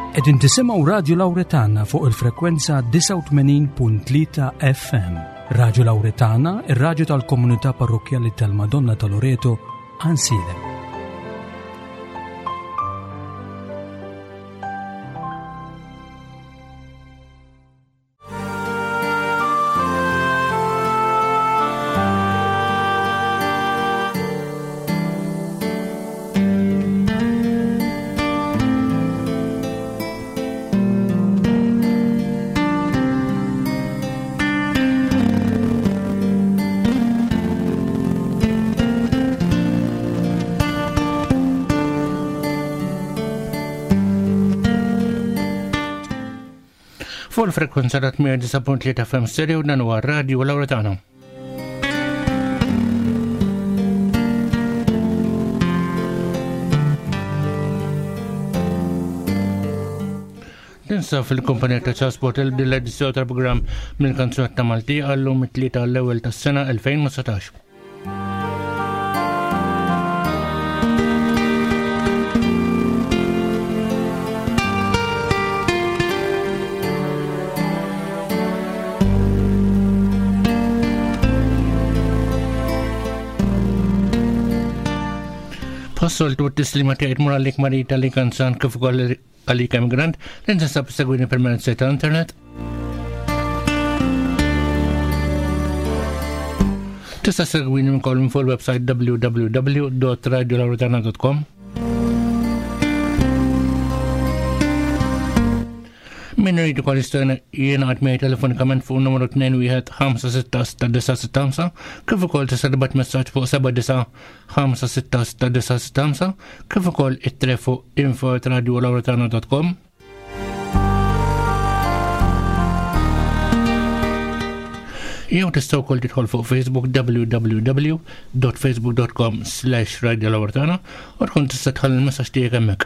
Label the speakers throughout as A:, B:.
A: Qegħdin tisimgħu Radio Lauretana fuq il-frekwenza 89.3 FM. Radio Lauretana, ir-radju tal-komunità parrokkjali tal-Madonna ta' Loreto, Ansilem.
B: Fuq il-frekwenza ta' 89.3 FM stereo dan huwa r-radju Lauretana. Tinsa fil-kumpanija ta' Charles Portel din l-edizzjoni tal-programm minn kanzunetta Malti għallum it-tlieta l-ewwel tas-sena 2019. Passoltu t-tislima tiegħi tmur għalik Marita li kanzan kif ukoll għalik emigrant li tinsab segwini permezz ta' internet. Tista' segwini wkoll minn fuq il-website www.radiolauretana.com. Min irid ukoll jista' jingħad miegħi telefonikament fuq numru 21566965 kif ukoll tista' tibgħat messaġġ fuq 79566965 kif ukoll ittre fuq info@radiolauretana.com. Jew tista' wkoll tidħol fuq Facebook www.facebook.com slash radiolawrtana u tkun tista' tħalli l-messaġġ tiegħek hemmhekk.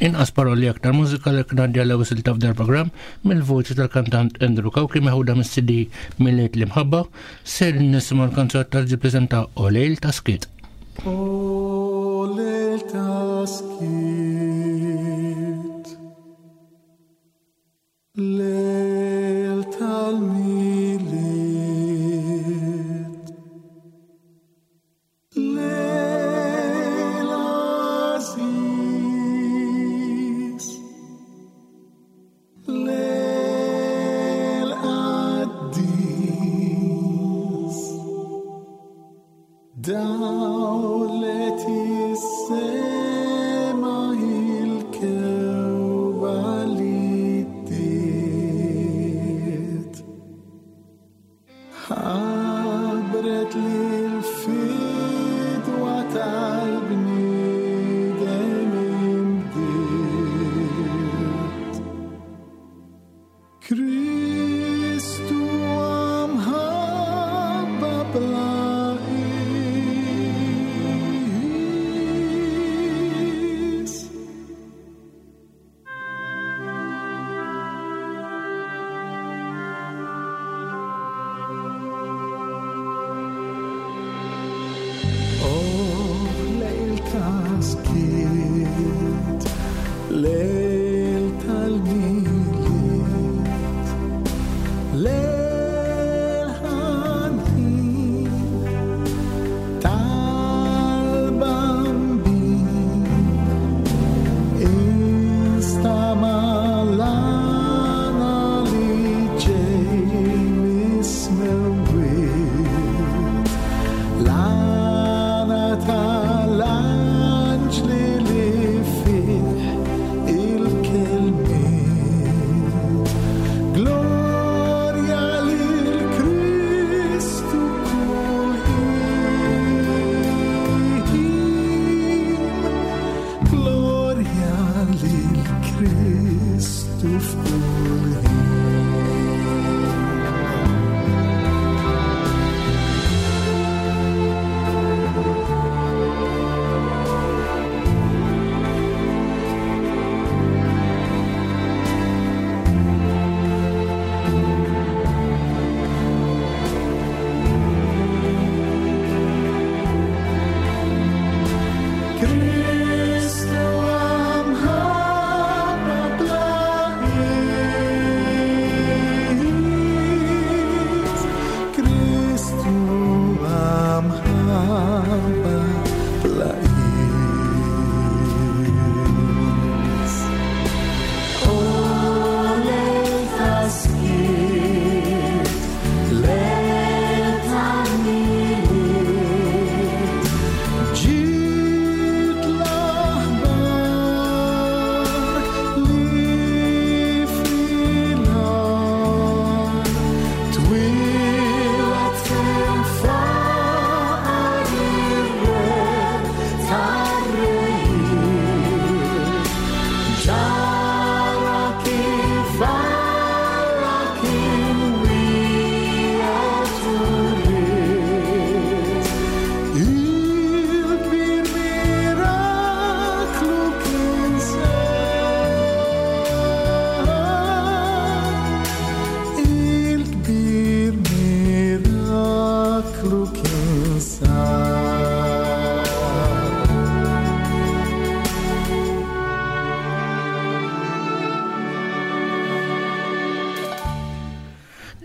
B: Inqas paroli aktar mużika li kien l ewwel silta f'dar programm mill-voċi tal-kantant Andrew Kawki meħuda mis-CD Miliet l-Imħabba Ser nisimgħu l-kanzunetta li ġippreżenta O Lejl ta' Skiet.
C: O lejl ta' skiet, lejl tal-milied, lejl għażiż. Lejl qaddis, dawlet is-sema il-kewba li ddiet. Ħabbret li l-fidwa tal-bniedem imbdiet. Kristu mħabba bla qis. Lejl ta' skiet, lejl tal-milied, lejl ħanin tal-bambin. Instamalana li ġej mis-smewwiet, l-għana tal-anġli li fih il-kelmiet. Glorja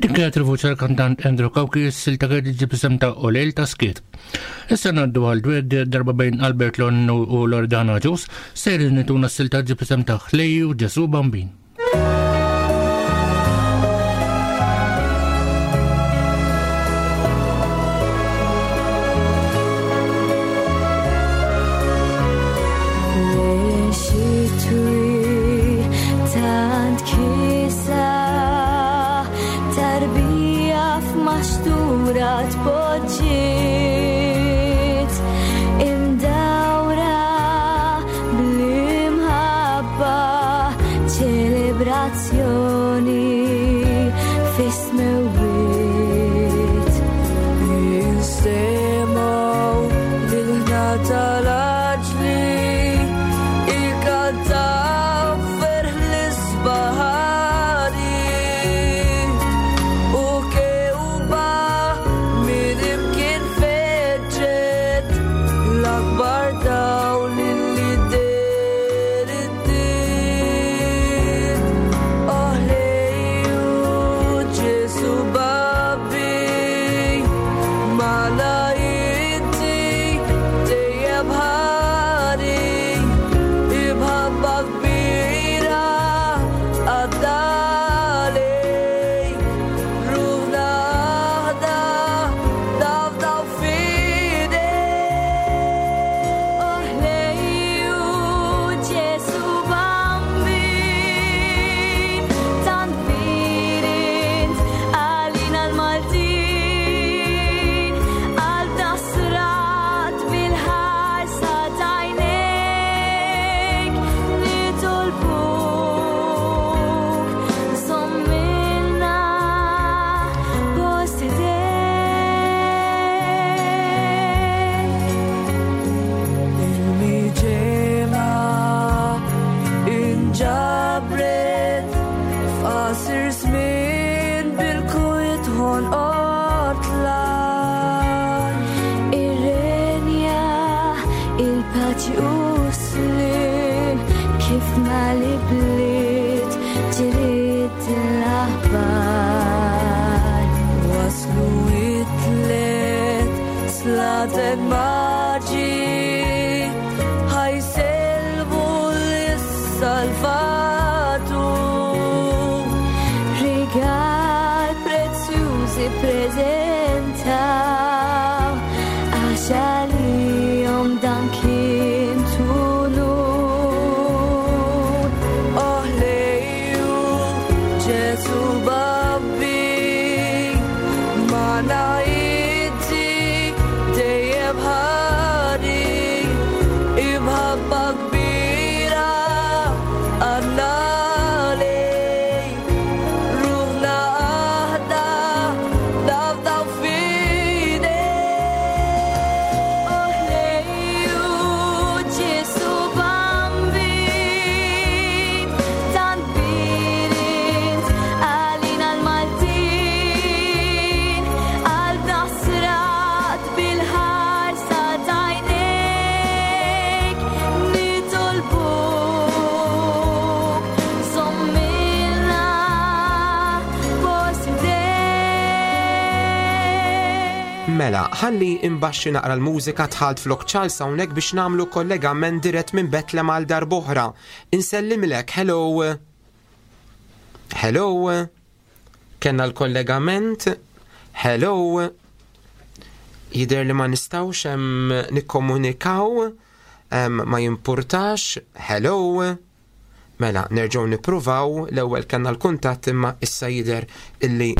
B: Dik il-vuċi tal-kantant Andrew Cauchi s-silta kienet iġġib isem ta' Olel ta' Skiet. Issa ngħaddu għal dwed darba bejn Albert Lon u Loredana Ġus, ser nituna s-silta ġib isem ta' Ħlejju Ġesu Bambin.
D: Mela, ħalli imbaxxi naqra l-mużika tħalt flok Charles hawnhekk biex nagħmlu kollegament dirett minn Betlem għal darb'oħra. Insellimlek, hello. Hello. Kenna l-kollegament. Hello. Jider li ma nistawx hemm nikkomunikaw, ma jimpurtax. Hello. Mela, nerġgħu nippruvaw l-ewwel kellna l-kuntatt imma issa jidher illi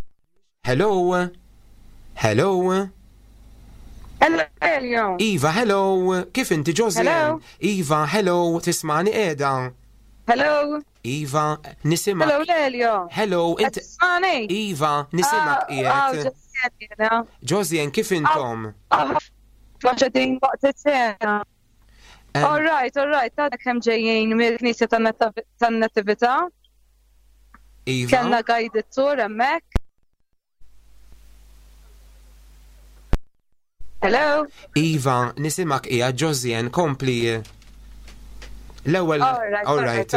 D: Hello? Hello?
E: Hello, Elio.
D: Iva, hello. Kif inti Josie?
E: Hello.
D: Iva, hello. Tismani qiegħda?
E: Hello.
D: Iva, nisimak.
E: Hello, Lelio.
D: Hello,
E: inti. Tismani?
D: Iva, nisimak
E: ah,
D: qiegħed.
E: Ah,
D: Josien, kif intom?
E: Ah, Maġedin waqt it-sena. All right, all right, ta' kemm ġejjin mill-Knisja tan-Natività.
D: Iva.
E: Kellna guided tour hemmhekk. Hello?
D: Iva, nisimak hija Josien, kompli. L-ewwel.
E: All right.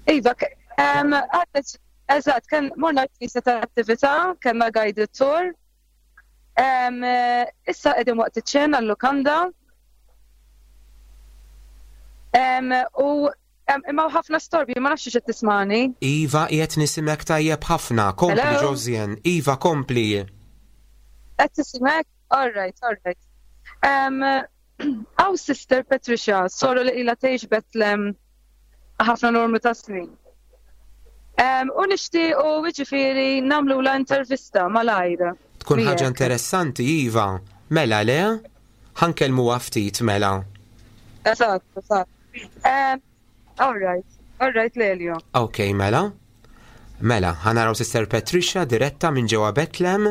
E: Iva, għadet Eżatt, kien morna l-knisja tal-attività, kellna guided tour. Issa qegħdin waqt iċ-ċena l-lukanda. U imma ħafna storbju, ma nafx x'qed tismani.
D: Iva, qiegħed nisimek tajjeb ħafna. Kompli Josien. Iva, kompli.
E: Qed tisimek? All right, all right. Għaw Sister Patricia, soru li ila tgħix Betlem ħafna normu ta' snin. U nixtiequ jiġifieri nagħmlu la intervista malajr.
D: Tkun ħaġa interessanti, Iva. Mela le? Ħankellmuha ftit mela.
E: Eżatt, eżatt. All right, all right, Lelio.
D: Ok, mela. Mela, ħanaraw Sister Patricia diretta minn ġewwa Betlem.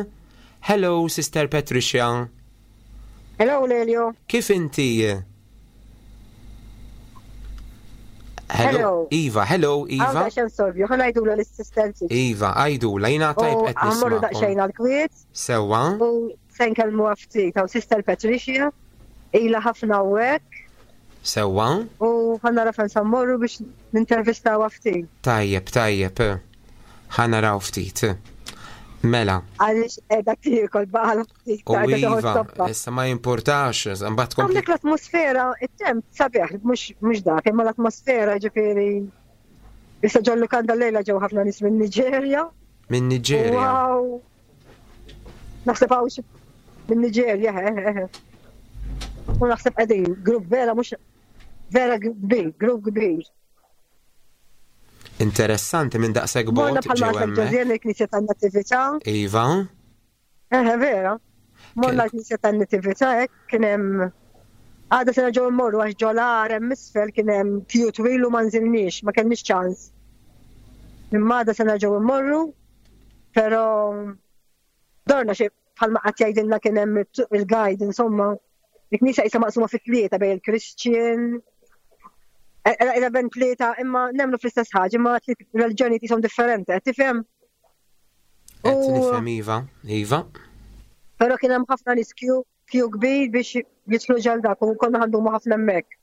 D: Hello, Sister Patricia.
F: Hello, Lelio.
D: Kif inti?
F: Hello.
D: Iva, hello, Iva.
F: Għawda xen sorbju, ħana għajdula l-assistenzi.
D: Iva, għajdula, jina tajb qed nisma'.
F: Għammorru daqxejn għal-kwiet.
D: Sewa.
F: U se nkellmu ftit hawn Sister Patricia, ila ħafna hawnhekk.
D: Sewa.
F: U ħanara fejn sa mmorru biex nintervistaw ftit.
D: Tajjeb, tajjeb. Ħanaraw ftit. Mela.
F: Għaliex qiegħda tiekol baqal ftit.
D: U iva, issa ma jimpurtax, mbagħad
F: tkompli. Għandek l-atmosfera, it-temp sabiħ, mhux dak, imma l-atmosfera ġifieri. Issa ġollu kanda lejla ġew ħafna nies minn Niġerja.
D: Minn Niġerja.
F: Wow. Naħseb hawn xi minn Niġerja, U naħseb qegħdin grupp vera mhux vera kbir, grupp kbir.
D: Interessanti minn daqshekk bogħod
F: ġew hemmhekk. Il-Knisja tan-Natività.
D: Iva.
F: Eħe vera. Morna l-Knisja tan-Natività hekk kien hemm għada se nerġgħu mmorru għax ġolar hemm isfel kien hemm kju twil u ma nżilniex, ma kellniex ċans. Imma għada se nerġgħu mmorru, però dorna xi bħalma qatt jgħidilna kien hemm il-guide insomma. Il-knisja qisha maqsuma fi tlieta bejn il-Christian, Ela ben tlieta imma nemmnu fl-istess ħaġa, imma tliet reliġjoni jisom differenti, qed tifhem?
D: Qed nifhem iva, iva.
F: Però kien hemm ħafna nies kju kju kbir biex jidħlu ġal dak u konna ħandumu ħafna hemmhekk.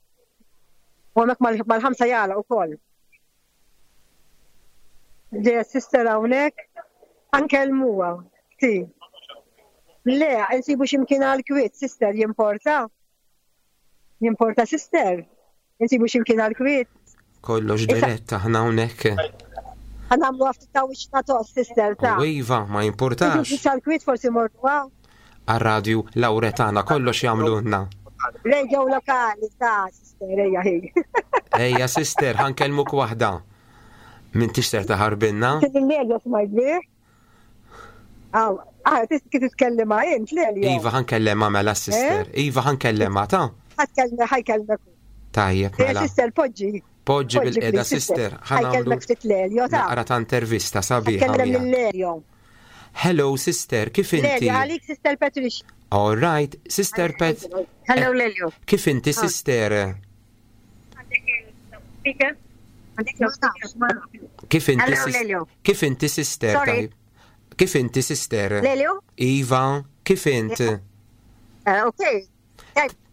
F: U hemmhekk mal-ħamsa jagħlaq ukoll. Ġeja sister hawnhekk ħankellmuha. Ti. Le, nsibu x'imkien għal kwiet, sister jimporta. Jimporta sister. Insibu x'imkien għal kwiet.
D: Kollox dirett aħna hawnhekk.
F: Ħanamlu għafti ta' wiċċna tos, sister ta'.
D: U iva, ma jimpurtax.
F: Insibu għal kwiet forsi morru għaw.
D: Għar-radju Lawretana kollox jagħmlulna.
F: Radio lokali ta' sister, ejja hi.
D: Ejja sister, ħankellmuk waħda. Min tixter taħarbinna?
F: Kien il-media smajt bih. Aw, ah, kif titkellem int, Lelio.
D: Iva ħankellem mela sister. Eh? Iva ħankellem ta'
F: Ħatkellem ħajkellmek.
D: Tajjeb
F: eh, mela. Sister, poġġi.
D: Poġġi bil-qeda sister.
F: Ħankellmek ftit Lelio ta'
D: Naqra ta' intervista sabiħa.
F: Ħankellem lil Lelio.
D: Hello sister, kif inti?
F: Lelio, għalik sister Patricia.
D: All right, sister Pat.
F: Hello Lelio.
D: Kif inti ah. sister? Kif inti Kif inti sister? Kif inti sister?
F: Lelio?
D: Iva, kif int?
G: Eh, ok,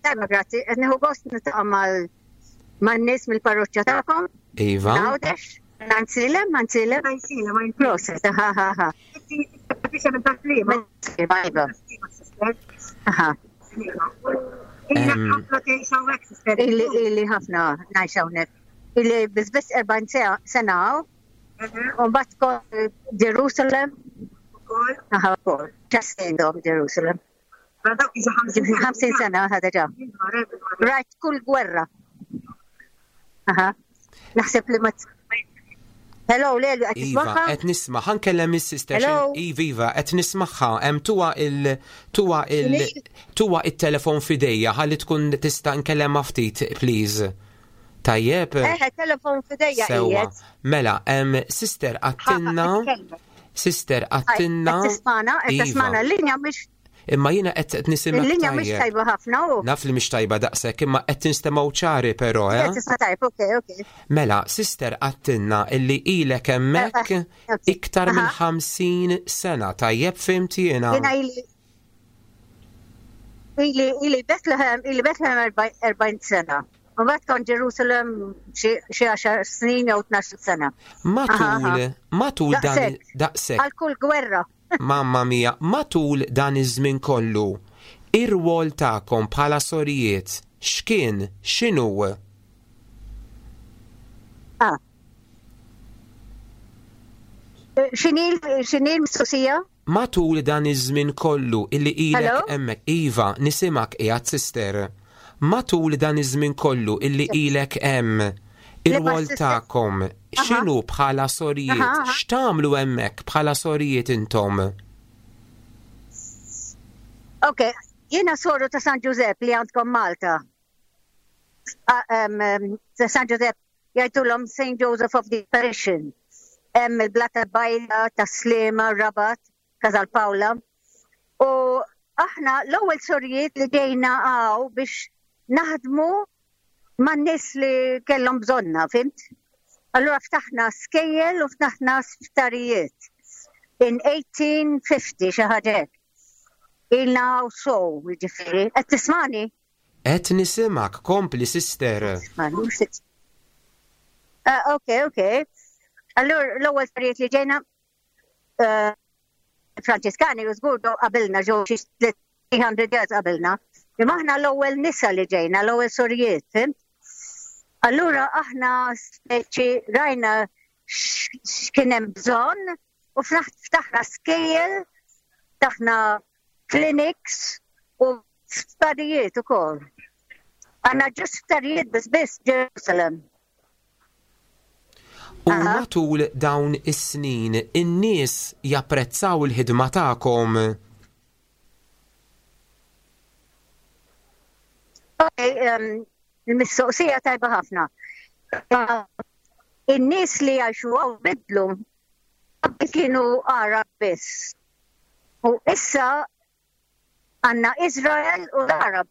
G: tajba grazzi, qed nieħu gost niltaqa' mal-nies mill-parroċċa tagħkom.
D: Iva.
G: Għawdex. Għansilem, għansilem.
F: Għansilem,
G: Proset, ha ha ha. Ili ħafna ngħix hawnhekk. Ili biss biss 40 sena hawn. U mbagħad kol Jerusalem. Aha, wkoll. Ġastindhom Jerusalem. 50 sena ħada ġa. Rajt kull gwerra. Aha. Naħseb li ma Hello, Lelu, qed
D: Iva,
G: tismaħħa?
D: qed nisma' ħa nkellem is-sister
G: Hello?
D: Iva, Iva, qed nismaħħa, hemm tuwa il tuwa il tuwa it-telefon f'idejja ħalli tkun tista' nkellemha ftit, please. Tajjeb?
G: Eħe, telefon f'idejja
D: Sewwa.
G: qiegħed.
D: Mela, hemm sister għattinna Sister għattinna.
G: Qed tismana, qed
D: Iva.
G: tismana l-linja mhix
D: Imma jiena qed nisimgħek
G: il-linja mhix
D: tajjeb.
G: tajba ħafna u.
D: Naf li mhix tajba daqshekk, imma qed tinstemgħu ċari però, eh?
G: Qed tisma' tajb, okej, okej.
D: Mela, sister għattinna illi ilek hemmhekk
G: Eh, eh,
D: iktar minn
G: aha.
D: 50 sena. Tajjeb fimt jiena.
G: Jiena ili ili ili Bethlehem, ili Bethlehem 40 sena. Mbagħad kont Ġerusalem xi 10 snin jew 12 sena.
D: Matul, matul dan daqshekk.
G: Għal kull gwerra.
D: Mamma mia, matul dan iż-żmien kollu, ir-rwol tagħkom bħala sorijiet x'kien, x'inhu?
G: Ah. X'inhi l-mistoqsija?
D: Matul dan iż-żmien kollu illi ilek hemmhekk, iva, nisimgħek qiegħed sister. Matul dan iż-żmien kollu illi ilek hemm, ir-rwol tagħkom x'inhu bħala sorijiet? X'tagħmlu hemmhekk bħala sorijiet intom?
G: Ok, jiena soru ta' San Ġużepp li għandkom Malta. Ta' San Ġużepp jgħidulhom St. Joseph of the Apparition. Hemm il-Blata Bajla, Tas-Sliema, Rabat, Casal Paola. U aħna l-ewwel sorijiet li ġejna hawn biex naħdmu man-nies li kellhom bżonna, fimt? Allura ftaħna skejjel u ftaħna sptarijiet. In 1850 xi ħaġa hekk. Ilna hawn sow, jiġifieri. Qed tismani?
D: Qed nisimgħek, kompli sister.
G: Ah, ok, ok. Allura l-ewwel sorijiet li ġejna eh, Franċiskani u żgur ġew qabilna ġew xi 300 years qabilna. Imma aħna l-ewwel nisa li ġejna, l-ewwel sorijiet, fimt? Allura aħna speċi rajna x'kien hemm bżonn u ftaħna skejjel, ftaħna clinics u sptarijiet ukoll. Għandna ġust sptarijiet biss biss Ġerusalem.
D: U matul dawn is-snin in-nies japprezzaw il-ħidma tagħkom.
G: Il-mistoqsija tajba ħafna. In-nies li jgħixu hawn bidlu qabel kienu Għarab biss. U issa għandna Izrael u l-Għarab.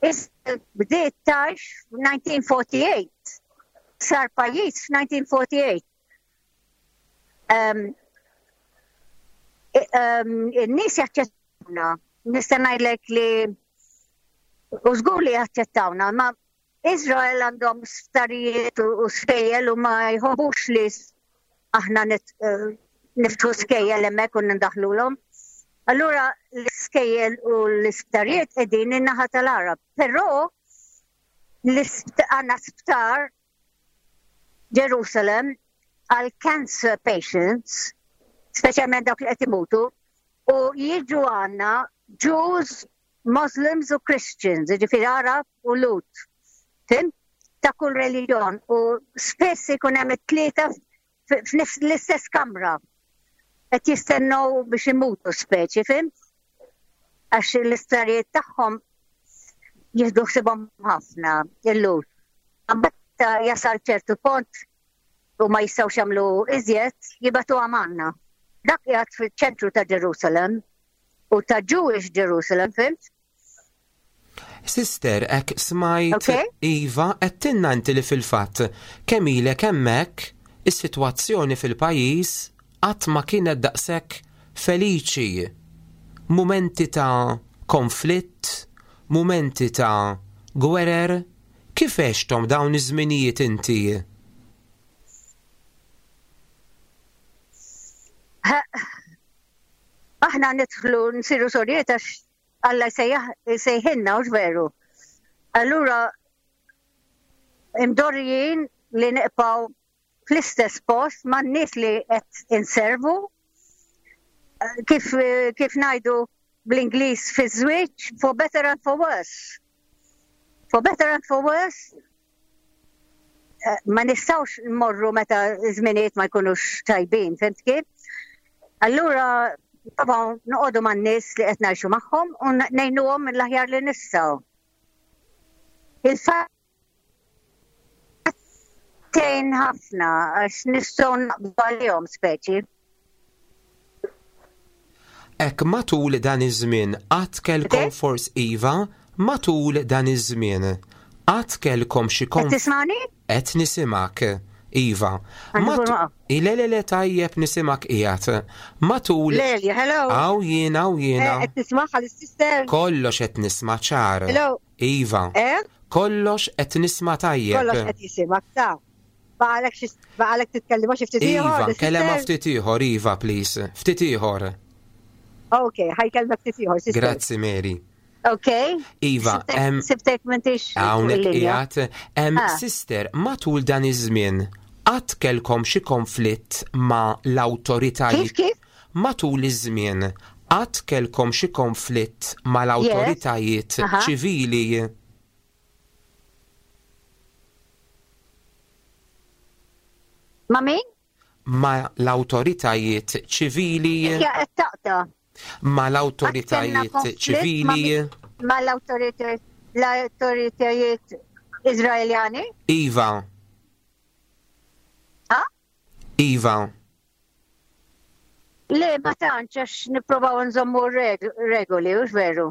G: Izrael bdiet tgħix f'1948. Sar pajjiż f'1948. Um, um, in-nies jaċċettawna. Nista' ngħidlek li u żgur li jaċċettawna, ma Izrael għandhom sptarijiet u skejjel u ma jħobbux li aħna eh, niftħu skejjel hemmhekk u nindaħlulhom. Allura l-iskejjel u l-isptarijiet qegħdin in-naħa tal-Arab, però għandna sptar Ġerusalem għal cancer patients, speċjalment dawk li qed imutu, u jiġu għandna Jews Muslims u Christians, jiġifieri Għarab u Lhud. Fhimt? Ta' kull reliġjon u spiss ikun hemm it-tlieta fl-istess kamra. Qed jistennew biex imutu speċi, fhimt? Għax l-isptarijiet tagħhom jieħdu ħsibhom ħafna il-Lhud. Meta jasal ċertu pont u ma jistgħux jagħmlu iżjed, jibgħatuha magħna. Dak qiegħed fiċ-ċentru ta' Ġerusalem u ta' Jewish Jerusalem, fimt?
D: Sister, ek smajt okay. Iva, għedtilna inti li fil-fatt kemm ilek hemmhekk is-sitwazzjoni fil-pajjiż qatt ma kienet daqshekk feliċi. Mumenti ta' konflitt, mumenti ta' gwerer, kif għexthom dawn iż-żminijiet inti?
G: Aħna nidħlu nsiru sorijiet għax Alla jsejħilna hux veru. Allura imdorrijin li nibqgħu fl-istess post man-nies li qed inservu kif kif ngħidu bl-Ingliż fiż-żwieġ for better and for worse. For better and for worse eh, ma nistgħux nmorru meta żminijiet ma jkunux tajbin, fimt kif? Allura provaw noqogħdu man-nies li qed ngħixu magħhom u ngħinuhom mill-aħjar li nistgħu. Il-fatt tgħin ħafna għax nistgħu naqbdu għalihom speċi.
D: Hekk matul dan iż-żmien qatt kellkom fors iva, matul dan iż-żmien qatt kellkom xi
G: konf. Qed tismagħni?
D: Qed nisimgħek. Iva. Le le le tajjeb nisimgħek qiegħed. Matul.
F: Le, hello.
D: Hawn jien, hawn jiena.
F: Eh, qed tismagħha l-sister?
D: Kollox qed nisma' ċar.
F: Hello.
D: Iva.
F: Eh?
D: Kollox qed nisma' tajjeb.
F: Kollox qed jisimak ta' baqalek xi baqalek titkellima xi ftit
D: ieħor. Iva, nkellema ftit ieħor, iva, please. Ftit ieħor.
F: Ok, ħajkellmek ftit ieħor.
D: Grazzi Mary.
G: Ok.
D: Iva,
G: sibtek m'intix.
D: Hawnhekk qiegħed. Ah. Sister, matul dan iż-żmien qatt kellkom xi konflitt ma' l-awtoritajiet?
G: Kif kif?
D: Matul iż-żmien qatt kellkom xi konflitt ma' l-awtoritajiet ċivili?
G: Ma' min?
D: Ma' l-awtoritajiet ċivili.
G: Hija qed taqta'.
D: Ma' l-awtoritajiet ċivili.
G: Ma' l-awtoritajiet Iżraeljani?
D: Iva.
G: Ha?
D: Iva.
G: Le, ma tantx għax nipprovaw nżommu regoli, hux veru?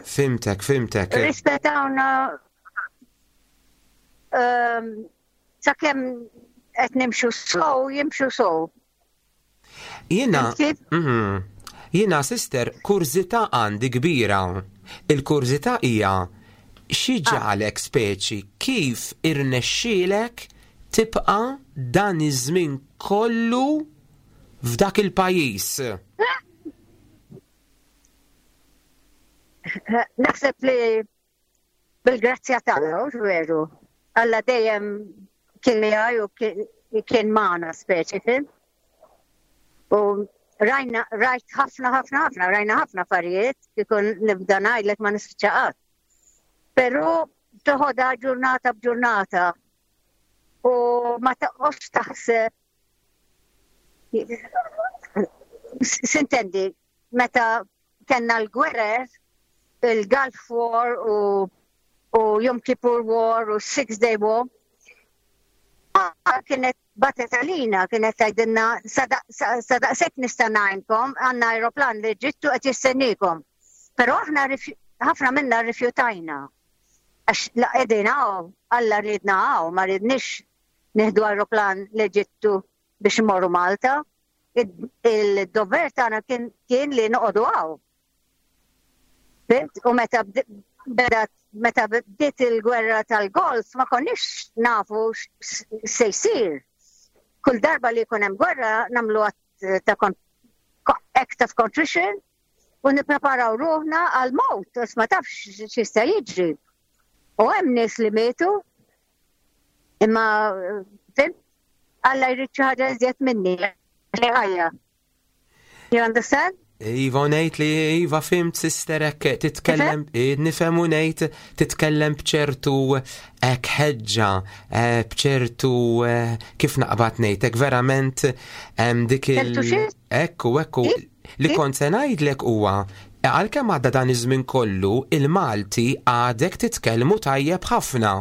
D: Fimtek, fimtek.
G: Rispettawna ehm, sakemm qed nimxu sow, jimxu sow.
D: Jiena, mhm. jiena sister, kurżità għandi kbira. Il-kurżità hija xi ah. ġalek speċi kif irnexxielek tibqa' dan iż-żmien kollu f'dak il-pajjiż?
G: Naħseb li bil-grazzja t'Alla, hux veru? Alla dejjem kien miegħi u kien magħna speċi, fim? U rajna, rajt ħafna, ħafna, ħafna, rajna ħafna affarijiet, kieku nibda ngħidlek ma nispiċċa qatt. Però toħodha ġurnata b'ġurnata u ma toqgħodx taħseb sintendi meta kellna l-gwerer il-Gulf War u u Yom Kippur War u Six Day War kienet batet għalina, kienet tgħidilna sa daqshekk nista' ngħinkom għandna aeroplan li ġittu qed jistennikom. Però aħna ħafna minna rrifjutajna. Għax la qegħdin hawn, Alla riedna hawn, ma riedniex nieħdu aeroplan l-Eġittu biex immorru Malta. Il-dover tagħna kien li noqogħdu hawn. U meta beda meta bdiet il-gwerra tal-Golf ma konniex nafu se jsir. Kull darba li jkun hemm gwerra nagħmlu ta' act of contrition u nippreparaw ruħna għal mowt, għax ma tafx x'jista' jiġri. U hemm nies li mietu, imma fim, Alla jrid xi ħaġa iżjed minni, li ħajja. You understand?
D: Iva ngħid li iva fimt sister hekk titkellem eh, nifhem u ngħid titkellem b'ċertu hekk ħeġġa eh, b'ċertu eh, kif naqbad ngħid hekk verament dik il Ekku ekku li kont se ngħidlek huwa għalkemm għadda dan iż-żmien kollu il-Malti għadek titkellmu tajjeb ħafna.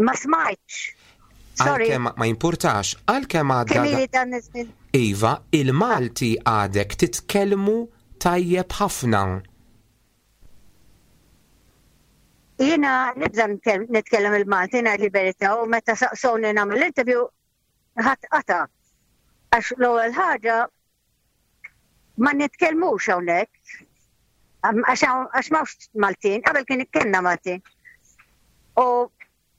G: Ma smajtx. Sorry.
D: Għalkemm ma jimpurtax, għalkemm għadda.
G: Kemm ili dan iż-żmien?
D: Iva, il-Malti għadek titkellmu tajjeb ħafna.
G: Jiena nibża' nitkellem il-Malti ngħid il-verità u meta saqsewni nagħmel l-interview ħadd qata'. Għax l-ewwel ħaġa ma nitkellmux hawnhekk għax m'hawnx Maltin, qabel kien kellna Maltin. U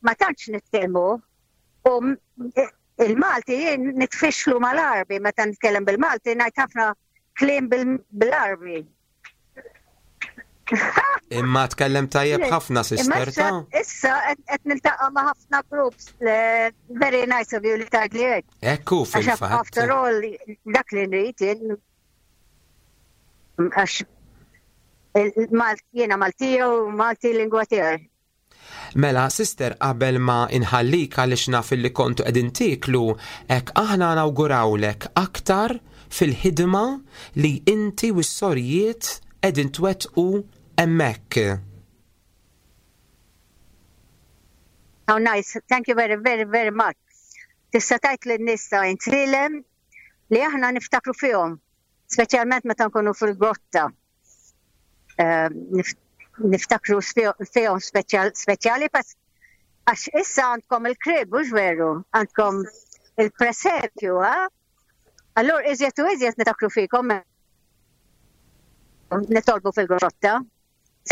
G: ma tantx nitkellmu u il-Malti jien nitfixlu mal-Arbi meta nitkellem bil-Malti ngħid ħafna kliem bil-Arbi.
D: Imma tkellem tajjeb ħafna sister ta'
G: Issa qed niltaqa' ma' ħafna groups very nice of you li tgħidli hekk.
D: Ekku fil-fatt.
G: After all dak li nrid jien għax jiena Maltija u Malti lingwa tiegħi.
D: Mela, sister, qabel ma inħallik għaliex naf illi kontu qegħdin tieklu, hekk aħna nawgurawlek aktar fil-ħidma li inti u s-sorijiet qegħdin twettqu hemmhekk.
G: How nice, thank you very, very, very much. Tista' tgħid lin-nies ta' Għajnsielem li aħna niftakru fihom, speċjalment meta nkunu fil-grotta. Ehm, niftakru fihom speċjali għax issa għandkom il-krib, mhux veru, għandkom il-presepju, ha? Allura iżjed u iżjed niftakru fikom. Nitolbu fil-grotta.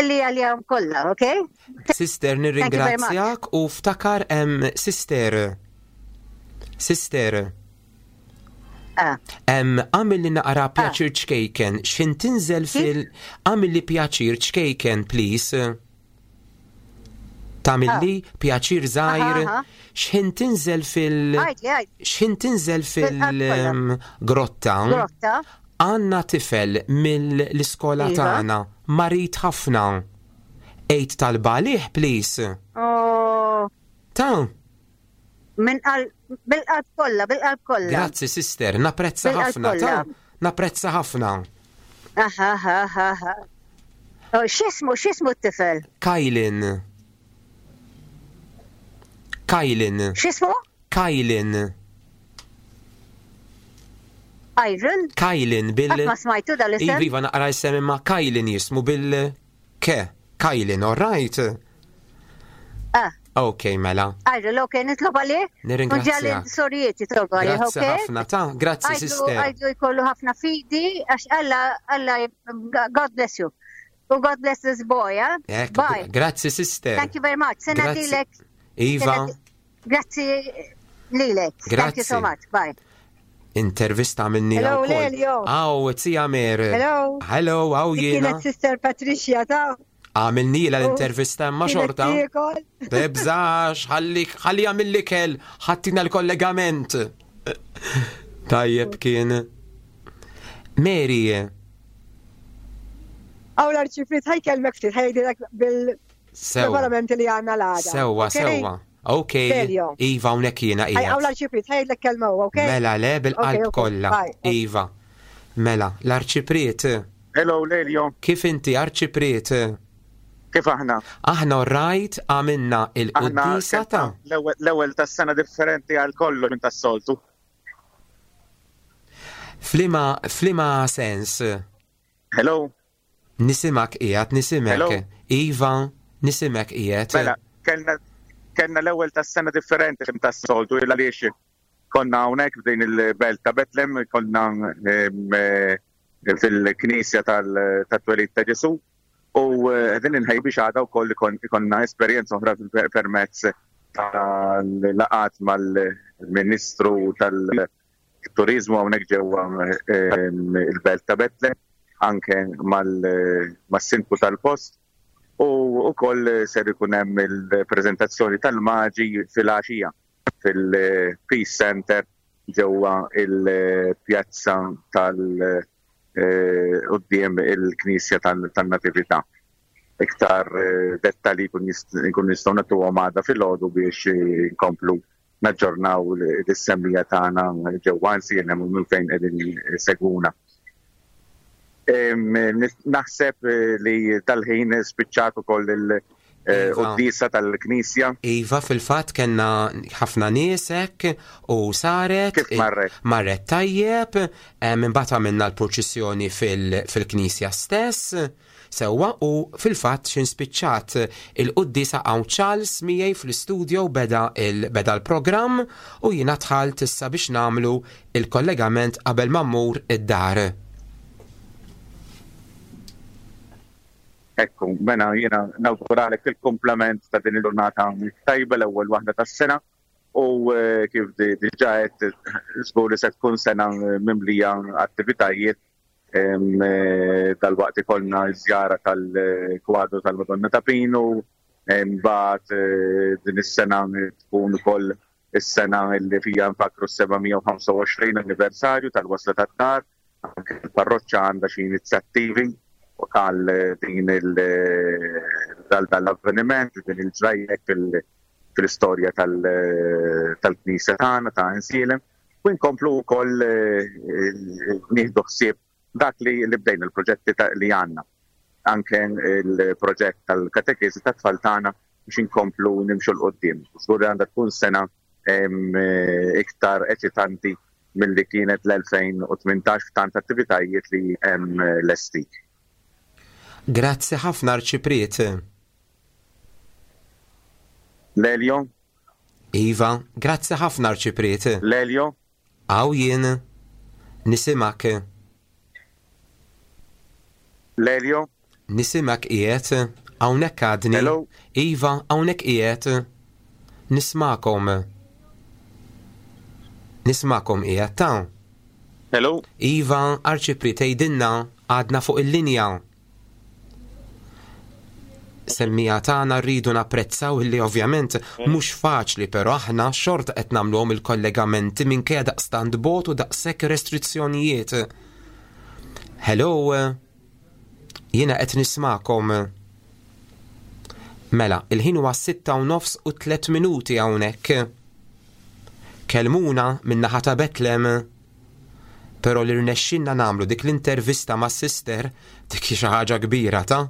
G: Li għalihom kollha, ok?
D: Sister, nirringrazzjak u ftakar hemm sister. Sister.
G: Ah.
D: Għamil li naqra ah. pjaċir ċkejken, x'in tinżel fil għamil li pjaċir ċkejken, please. Tagħmilli ah. pjaċir żgħir x'ħin tinżel fil x'ħin tinżel fil-grotta. Għandna tifel mill-iskola iva. tagħna marid ħafna. Ejt talba għalih, please.
G: Oh.
D: Ta'
G: Min bil-qalb kollha, bil-qalb kollha.
D: Grazzi sister, napprezza ħafna. Ta' napprezza ħafna.
G: Aha, aha, aha. Oh, x'ismu, x'ismu t-tifel?
D: Kajlin. Kajlin.
G: X'ismu?
D: Kajlin.
G: Iron?
D: Kajlin bil.
G: Ma smajtu dal-isem?
D: Iva, naqra isem imma Kajlin jismu bil. Ke. Kajlin, all right?
G: Ah.
D: Ok, mela.
G: Għajru, ok, nitlob għalih?
D: Nirringrazzja.
G: Unġalli sorijiet jitlob għalih, ok?
D: Grazzi ħafna, ta' grazzi, sister.
G: Għajdu jkollu ħafna fidi, għax Alla, Alla, God bless you. U God bless this boy, eh? Bye.
D: Grazzi, sister.
G: Thank you very much. Sena dilek.
D: Iva.
G: Grazzi lilek. Thank you so much. Bye.
D: Intervista minni
F: Hello, Lelio.
D: Aw, zija Mer.
F: Hello.
D: Hello, aw jiena.
F: Kienet Sister Patricia ta'
D: Għamilni la l-intervista ma xorta. Tibżax, ħalli ħalli għamilli kell, ħattina l-kollegament. Tajjeb kien. Mary.
F: Aw l-arċifrit ħajkelmek ftit, ħajdilek bil-preparamenti li għanna l-għada.
D: Sewa, sewa. Ok, Iva, unek jiena
F: qiegħed. Għaw l-arċipriet, ħajdlek kelma huwa, ok?
D: Mela le bil-qalb kollha. Iva. Mela, l-arċipriet.
H: Hello, Lelio.
D: Kif inti arċipriet?
H: Kif aħna?
D: Aħna rajt għamilna il-quddisa ta'
H: l-ewwel tas-sena differenti għal kollu minn tas-soltu.
D: Flima, flima sens?
H: Hello.
D: Nisimak qiegħed, nisimek. Iva, nisimek qiegħed.
H: Mela, kellna kellna l-ewwel tas-sena differenti minn tas-soltu il għaliex konna hawnhekk f'din il-belt ta' Betlem, konna eh, fil-knisja tal-twelid ta' Ġesu u eh, din inħej biex għada wkoll ikonna esperjenza oħra permezz tal-laqat mal-Ministru tal- Turiżmu hawnhekk ġewwa il-belt ta' Betlem, anke mas-sindku tal-post u wkoll ser ikun hemm il-preżentazzjoni tal-maġi filgħaxija fil-Peace Center ġewwa il-pjazza tal quddiem il-Knisja tan-Natività. Iktar dettalji nkunu nistgħu nagħtuhom għada filgħodu biex inkomplu naġġornaw lis-semmiegħa tagħna ġewwa Għajnsielem u minn fejn qegħdin isegwuna. Naħseb li dal-ħin spiċċat ukoll il-quddiesa iva. tal-Knisja.
D: Iva, fil-fatt kellna ħafna nies hekk u saret.
H: Kif marret?
D: Marret tajjeb, imbagħad għamilna l-purċissjoni fil-Knisja stess. Sewwa u fil-fatt x'in spiċċat il-quddiesa hawn Charles miegħi fl-istudio beda il beda l-programm u jiena dħalt issa biex nagħmlu il-kollegament qabel ma mmur id-dar.
H: Ekku, mela jiena nawguralek il-kumplament ta' din il-ġurnata tajba l-ewwel waħda tas-sena u kif diġà għedt żgur li se tkun sena mimlija attivitajiet Dalwaqt ikollna ż-żjara tal-kwadru tal-Madonna ta' Pinu, imbagħad din is-sena tkun ukoll is-sena li fija nfakkru s-725 anniversarju tal-wasla tad-dar. Anke l-parroċċa għandha xi inizjattivi għal din għal dan l-avveniment, din il-ġrajja fil-istorja tal-Knisja tagħna ta' Għajnsielem. U nkomplu wkoll nieħdu ħsieb dak li bdejna l-proġetti li għandna. Anke l-proġett tal-katekeżi tat-tfal tagħna biex inkomplu nimxu 'l quddiem. Żgur li għandha tkun sena iktar eċitanti milli kienet l-2018 f'tant attivitajiet li hemm lesti.
D: Grazzi ħafna Arċipriet.
H: Lelio?
D: Iva, grazzi ħafna Arċipriet.
H: Lelio?
D: Hawn jien. Nisimgħek.
H: Lelio?
D: Nisimak qiegħed, hawnhekk għadni.
H: Hello?
D: Iva, hawnhekk qiegħed. Nismakom. Nismakom qiegħed ta'.
H: Hello?
D: Iva, Arċipriet tgħidilna għadna fuq il-linja. Semmija tagħna rridu napprezzaw illi ovvjament mhux faċli però aħna xorta qed nagħmluhom il-kollegamenti minkejja daqstant bot u daqshekk restrizzjonijiet. Hello, jiena qed nismakom. Mela, il-ħin huwa 6 u nofs u 3 minuti hawnhekk. Kelmuna min-naħa ta' Betlem. Però li rnexxinna nagħmlu dik l-intervista ma' sister dik hi xi ħaġa kbira ta'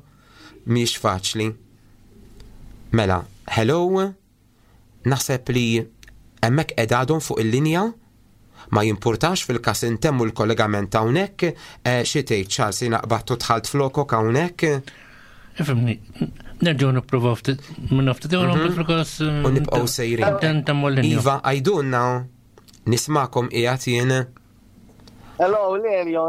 D: mhix faċli. Mela, hello, naħseb li hemmhekk qegħdadhom fuq il-linja ma jimpurtax fil-kas intemmu l-kollegament hawnhekk, xi tgħid Charles jiena qbattu dħalt flokok hawnhekk.
B: Ifhimni, nerġgħu nippruvaw ftit minn ftit fil-każ.
D: U nibqgħu sejrin.
B: Intemmu l-linja.
D: Iva, għajdunna nismakom qiegħed jien.
I: Hello, Lelio,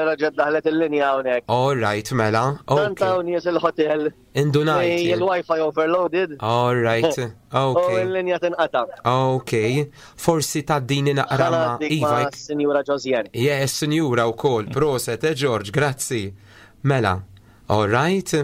I: reġgħet daħlet il-linja hawnhekk.
D: All right, mela.
I: Tant hawn nies il-hotel.
D: Indunajt.
I: Il-Wi-Fi overloaded.
D: All right,
I: U il-linja tinqata.
D: Ok. Forsi taddini naqra ma'
I: Iva.
D: Iva.
I: Sinjura Josiane.
D: Yes, sinjura u kol. Proset, George, grazzi. Mela, all right.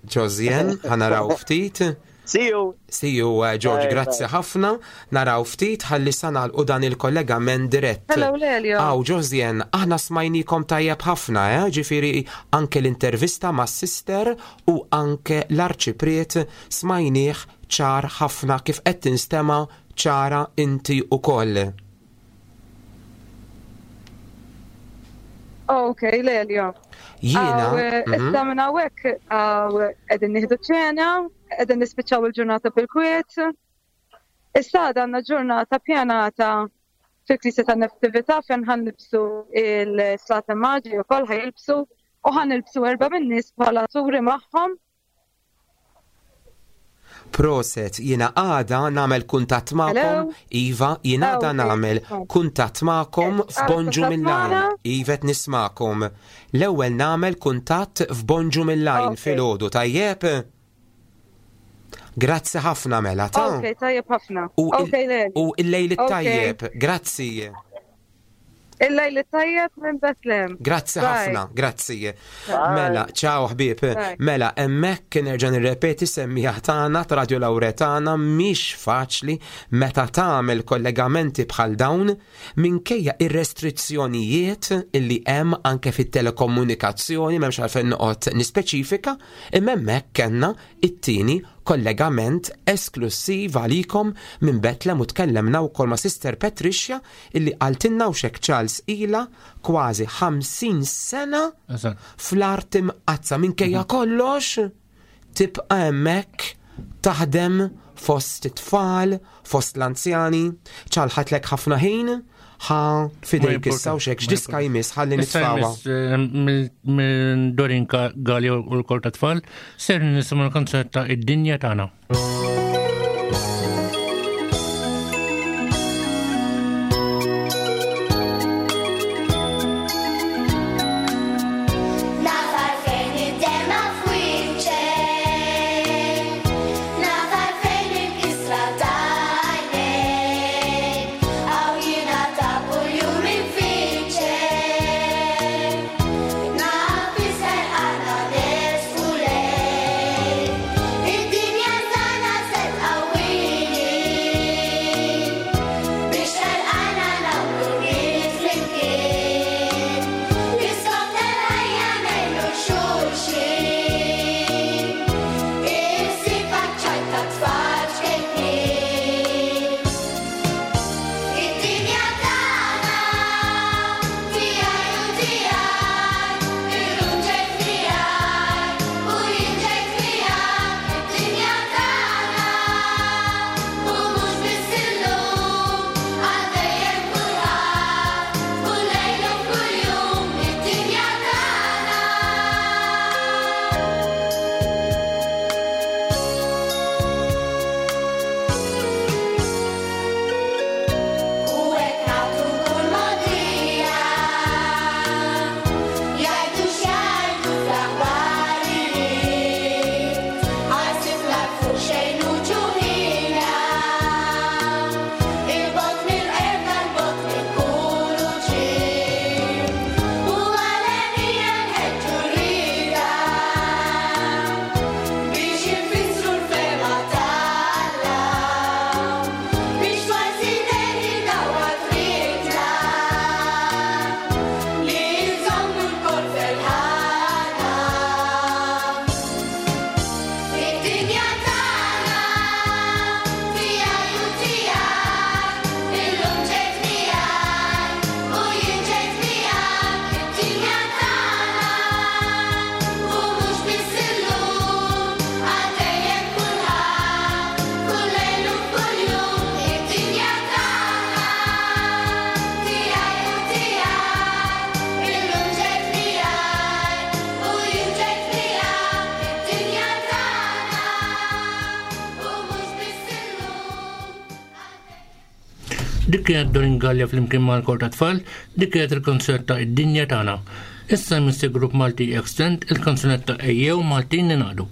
D: Josiane, ħa naraw ftit.
I: See you.
D: See you, George,
I: Bye,
D: grazzi
I: bye.
D: ħafna. Naraw ftit ħalli sanal u dan il-kollegament dirett.
E: Hello, Lelio.
D: Aw, Josiane, aħna smajnikom tajjeb ħafna, eh? Ġifieri anke l-intervista ma' sister u anke l-arċipriet smajnieh ċar ħafna kif qed tinstema ċara inti ukoll.
E: Ok, Lelio.
D: Jiena,
E: Aw, Issa minn hawnhekk aw, qegħdin nieħdu ċena, qegħdin nispiċċaw il-ġurnata bil-kwiet. Issa għadha għandna ġurnata pjanata fil-Knisja tan-Natività fejn ħa nilbsu il-Slaten Maġi wkoll ħa jilbsu u ħa nilbsu erba' min-nies bħala turi magħhom.
D: Proset, jiena għada nagħmel kuntatt magħkom.
E: Hello?
D: Iva, jiena għada nagħmel kuntatt magħkom f'Bonġu
E: kuntatt
D: mill-Għajn.
E: magħna?
D: Iva qed nismakom. L-ewwel nagħmel kuntatt f'Bonġu mill-Għajn filgħodu, tajjeb? Grazzi ħafna mela ta'
E: Ok, tajjeb ħafna.
D: U
E: Ok, Lelio.
D: U il-lejl
E: Ok.
D: tajjeb, grazzi.
E: Il-lejl tajjeb minn Bethlehem.
D: Grazzi
E: Bye.
D: ħafna, grazzi. Mela, ciao ħbieb.
E: Bye.
D: Mela, hemmhekk nerġa' nirrepeti semmija tagħna ta' Radio Lauretana mhix faċli meta tagħmel kollegamenti bħal dawn minkejja ir-restrizzjonijiet illi hemm anke fit-telekomunikazzjoni m'hemmx għalfejn noqgħod nispeċifika, imma hemmhekk kellna it-tieni kollegament esklusiv għalikom minn Betlem u tkellemna wkoll ma' Sister Patricia illi qaltilna u xek Charles ila kważi 50 sena fl-art imqazza minkejja kollox tibqa' hemmhekk taħdem fost it-tfal, fost l-anzjani, ċalħatlek ħafna ħin, ħa fidejk issa u xek x'diska jmiss ħalli
B: Issa
D: nitfawha.
B: jmiss, minn Dorin Galli u l-kor ta' tfal, ser nisimgħu l-kanzunetta Id-Dinja Tagħna.
J: Naf għalfejn id-dema f'wiċċek, naf għalfejn il-kisra ta' għajnejk, għaw jiena ta' kuljum infittxek. Naf isser għandna nersqu lejk, id-dinja tagħna
B: Dik kienet Dorin Gallia flimkien mal-kor ta' tfal, dik kienet il-kanzunetta Id-Dinja Tagħna. Issa jmiss il-grupp Malti Extend il-kanzunetta Ejjew Maltin Ningħaqdu.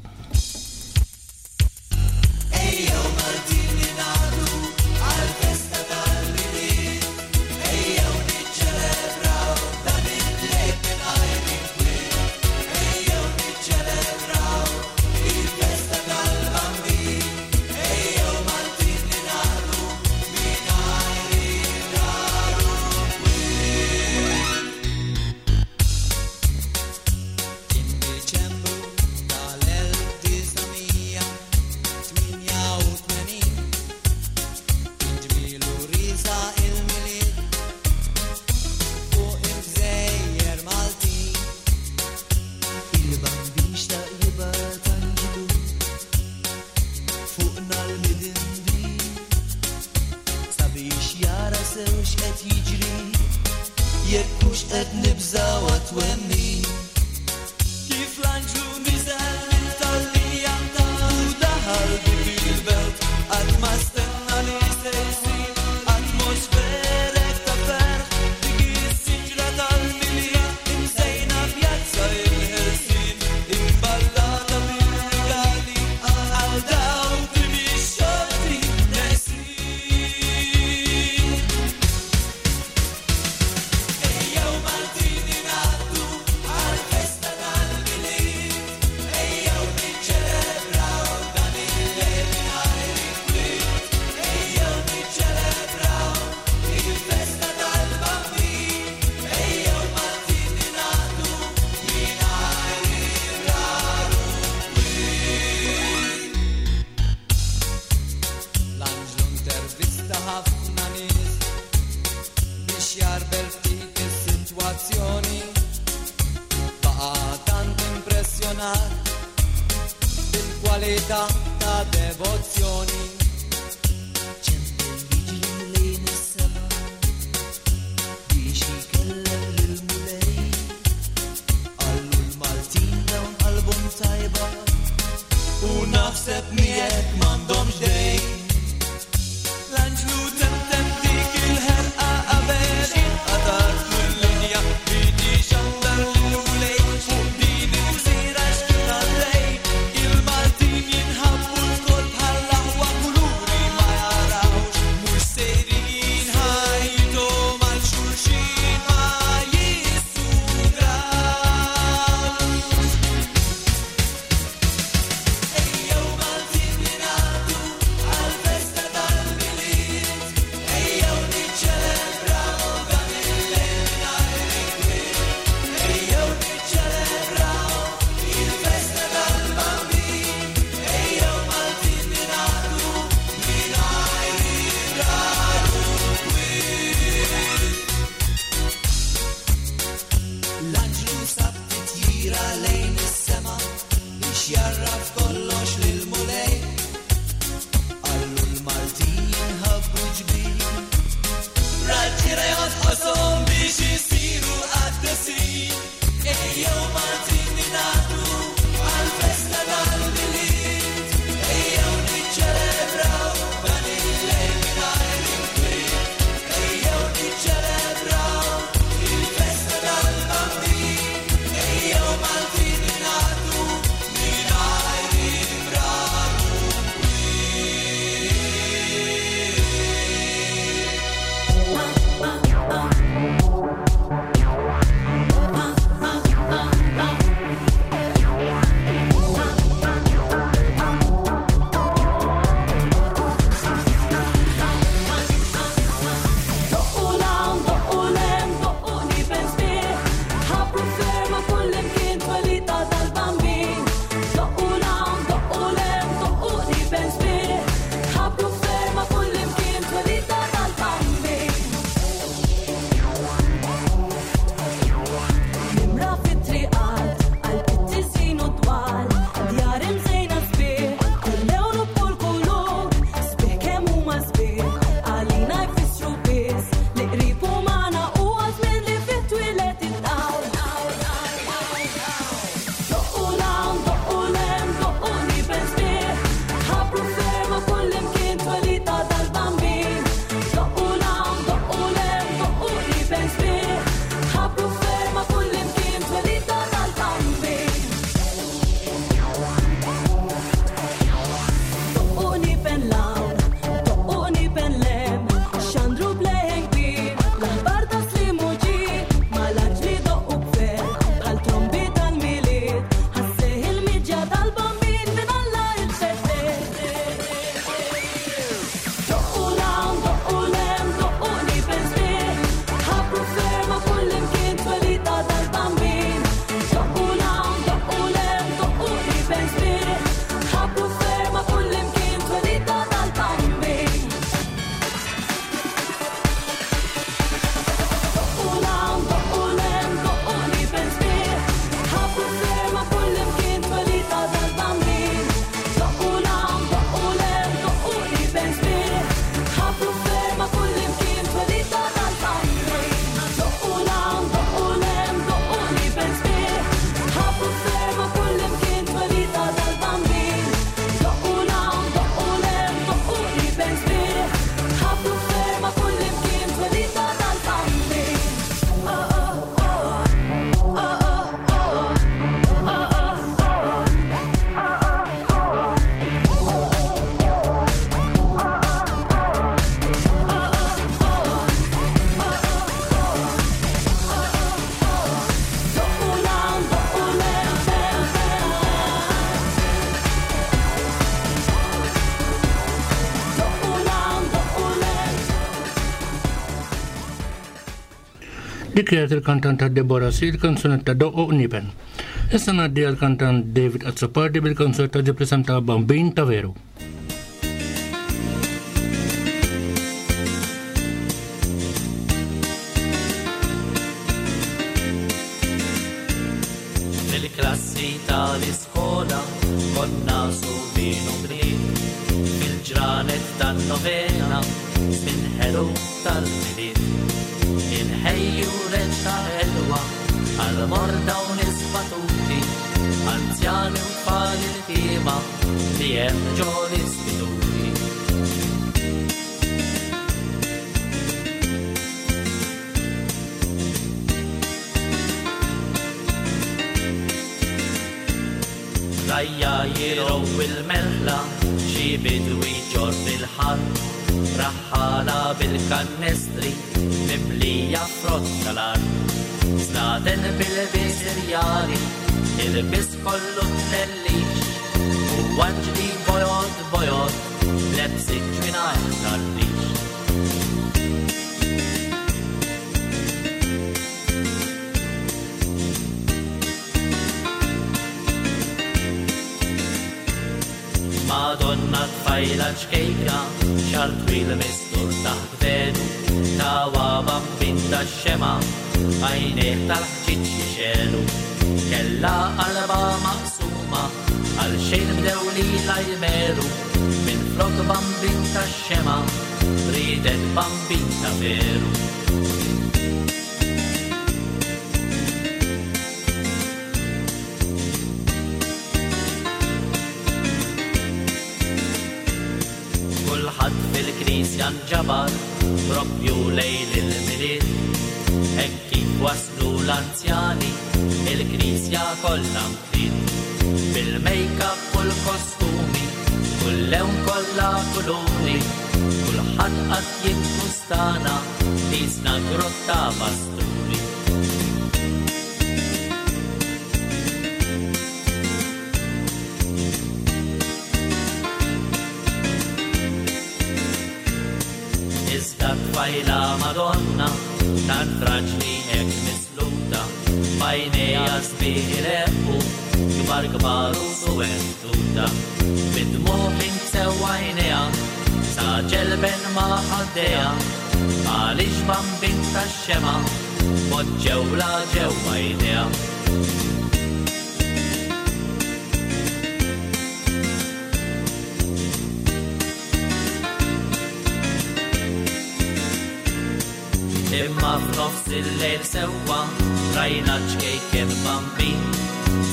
C: Il-Maltin jinħabbu l-kol bħal-aħwa
B: Dik kienet il-kantanta Deborah C, il-kanzunetta Doqqu Qniepen. Issa ngħaddi għall-kantant David Azzopardi bil-kanzunetta ġib l-isem ta' Bambin ta' Veru.
K: Fil-klassi tal-iskola konna subin u bniet fil-ġranet tan-novena żmien ħelu tal-Milied. Inħejju reċta ħelwa għal morda u nies batuti, anzjani u tfal iltiema li hemm ġo l-istituti. Rajja jirgħu il-merħla, xi bidwi ġorr il-ħatt, raħħala bil-kannestri mimlija frott tal-art. Slaten bil-ilbies irjali, ilbies kollu tlellix, u anġli bojod bojod, lebsin ġwinajn tal-rix. Madonna tfajla ċkejkna, xar twil mistur taħt velu, tawa bambin ta' xema, għajnejh tal-ħġiġ jixelu. Kella qalba maqsuma, għal xejn bdew lilha jmeru, minn flok bambin ta' xema, ridet bambin ta' veru. Kulħadd fil-knisja nġabar propju lejl il-Milied. Hekk kif waslu l-anzjani, il-knisja kollha mtliet. Bil-makeup u l-kostumi, kull lewn kollha kuluri, kulħadd qagħad jiggustana qisna grotta pasturi. Iżda tfajla Madonna, tant fraġli hekk misluta, b'għajnejha sbieħ ileqqu, kbar kbar u suwed tuta. Bid-dmugħ inksew għajnejha, sa ġelben ma' ħaddejha, għaliex bambin tax-xemgħa poġġewlha ġewwa jdejha. Imma f'nofs il-lejl sewwa rajna ċkejken bambin,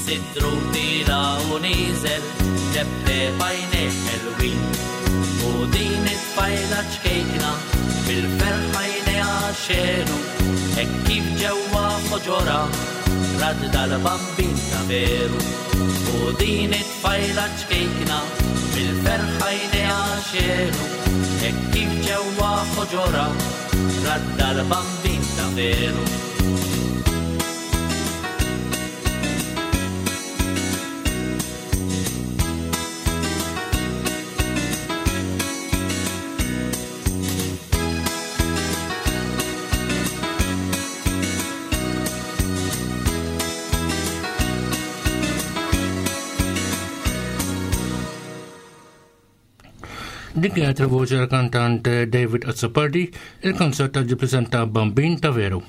K: sidru tila u nieżel teptep għajnejh ħelwin. U din it-tfajla ċkejkna bil-ferħ għajnejha xegħlu, hekk kif ġewwa ħoġorha rat dal-bambin ta' veru. U din it-tfajla ċkejkna bil-ferħ għajnejha xegħlu, hekk kif ġewwa ħoġorha rat dal-bambin ta' veru.
B: Dik kienet il-voċi tal-kantant David Azzopardi, il-kanzunetta ġi preżenta Bambin ta' Veru.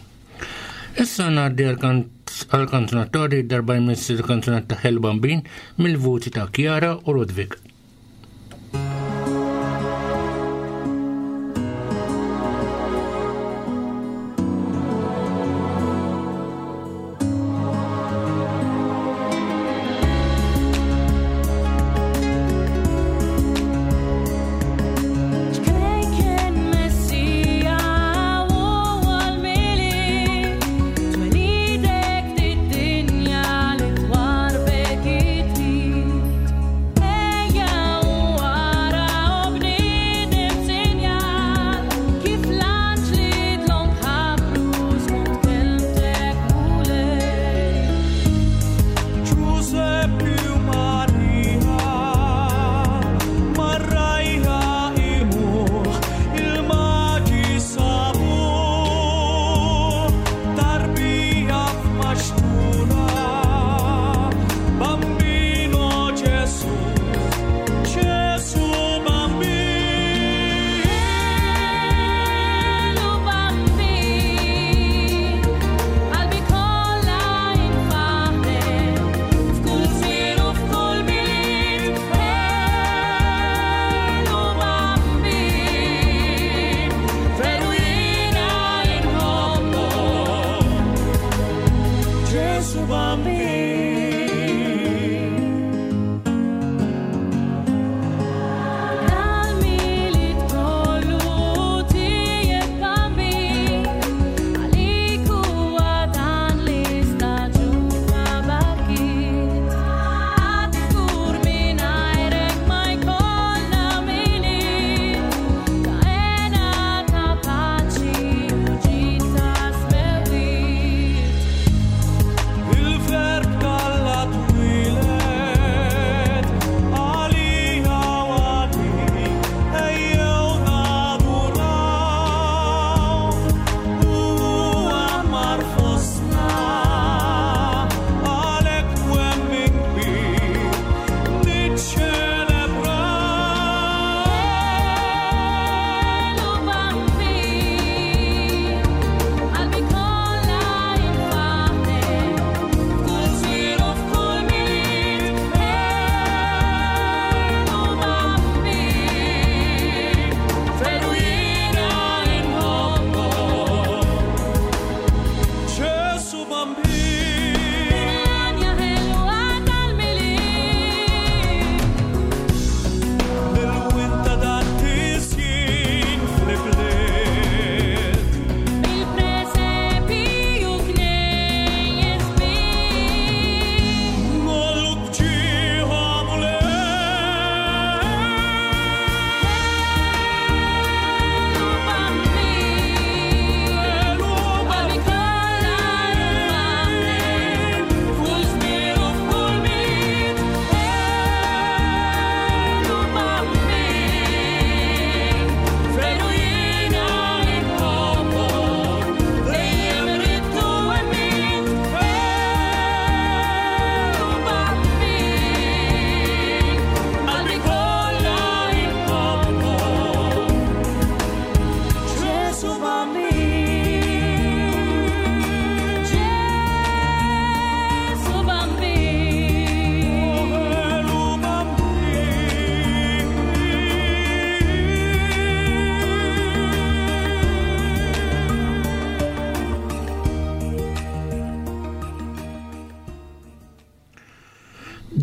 B: Issa ngħaddi għall-kanzunattori darba jmiss il-kanzunetta Hell Bambin mill-vuċi ta' Chiara u Ludwig.
L: Twelidek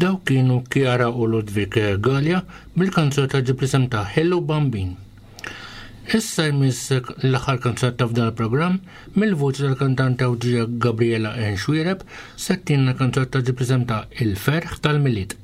B: Dawk kienu Chiara u Ludwig Galea bil-kanzunetta ġib l-isem ta' Hello Bambin. Issa jmiss l-aħħar kanzunetta f'dan il-programm mill-vuċi tal-kantanta Awġija Gabriela N. Xuereb se ttina kanzunetta ġib l-isem ta' Il-Ferħ tal-Milied.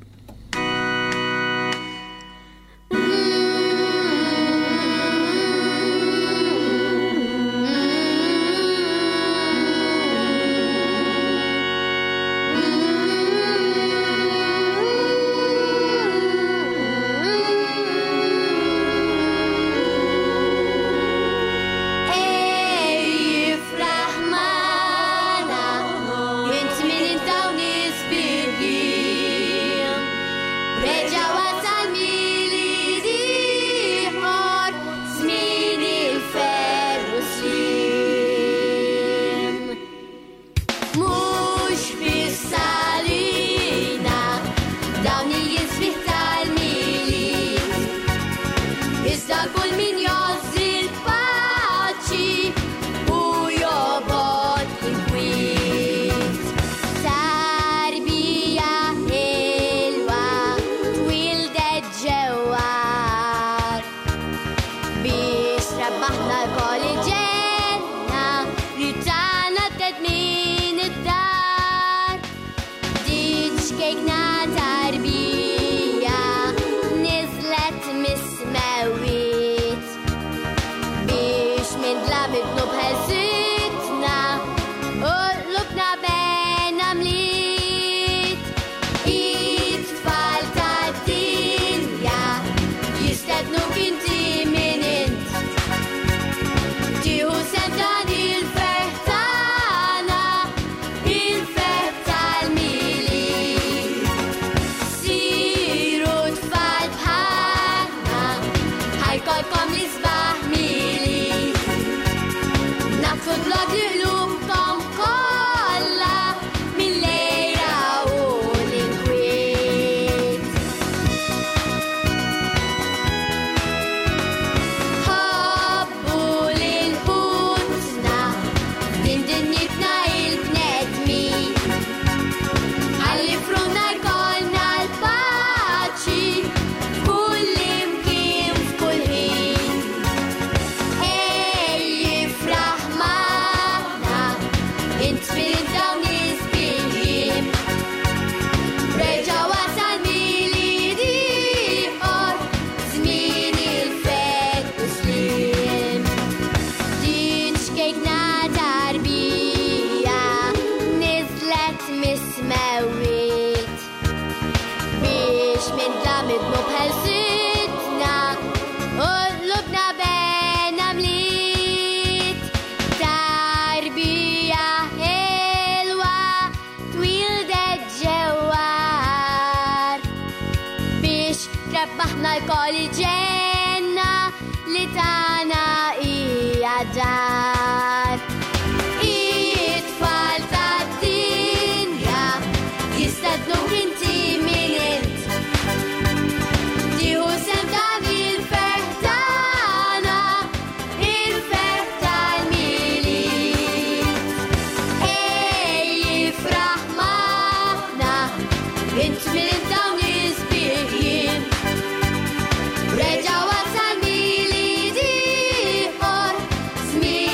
J: Reġa' wasal Milied ieħor, żmien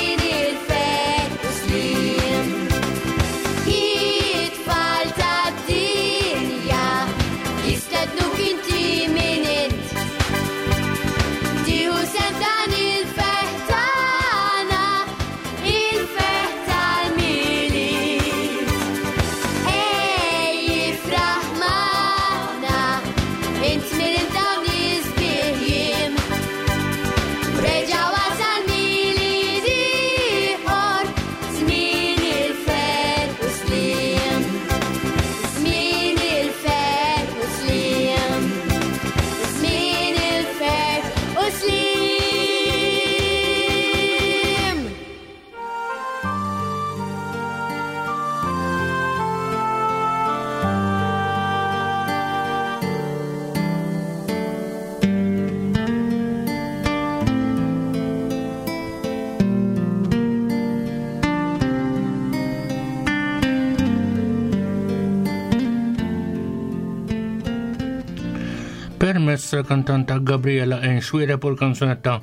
B: Permezz tal-kantanta Gabriela N. Xuereb u l-kanzunetta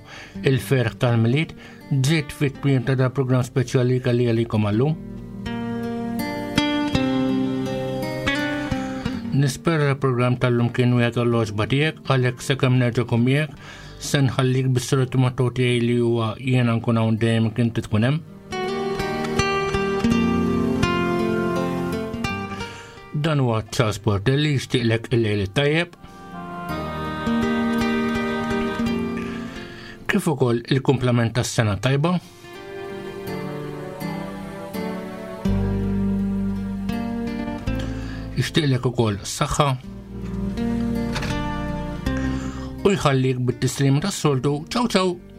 B: Il-Ferħ tal-Milied ġiet fit-tmiem ta' da programm speċjali kelli għalikom għallum. Nispera l-programm tal-lum kien wieħed għall-oġba tiegħek għalhekk sakemm nerġa' kum miegħek se nħallik bis-soltu motto tiegħi li huwa jiena nkun hawn dejjem kien tkun hemm. Dan huwa Charles Portelli jixtieqlek il-lejl it-tajjeb. Kif ukoll il-kumplament tas-sena tajba. Jixtieqlek ukoll saħħa u jħallik bit-tislim tas-soltu. Ciao ciao!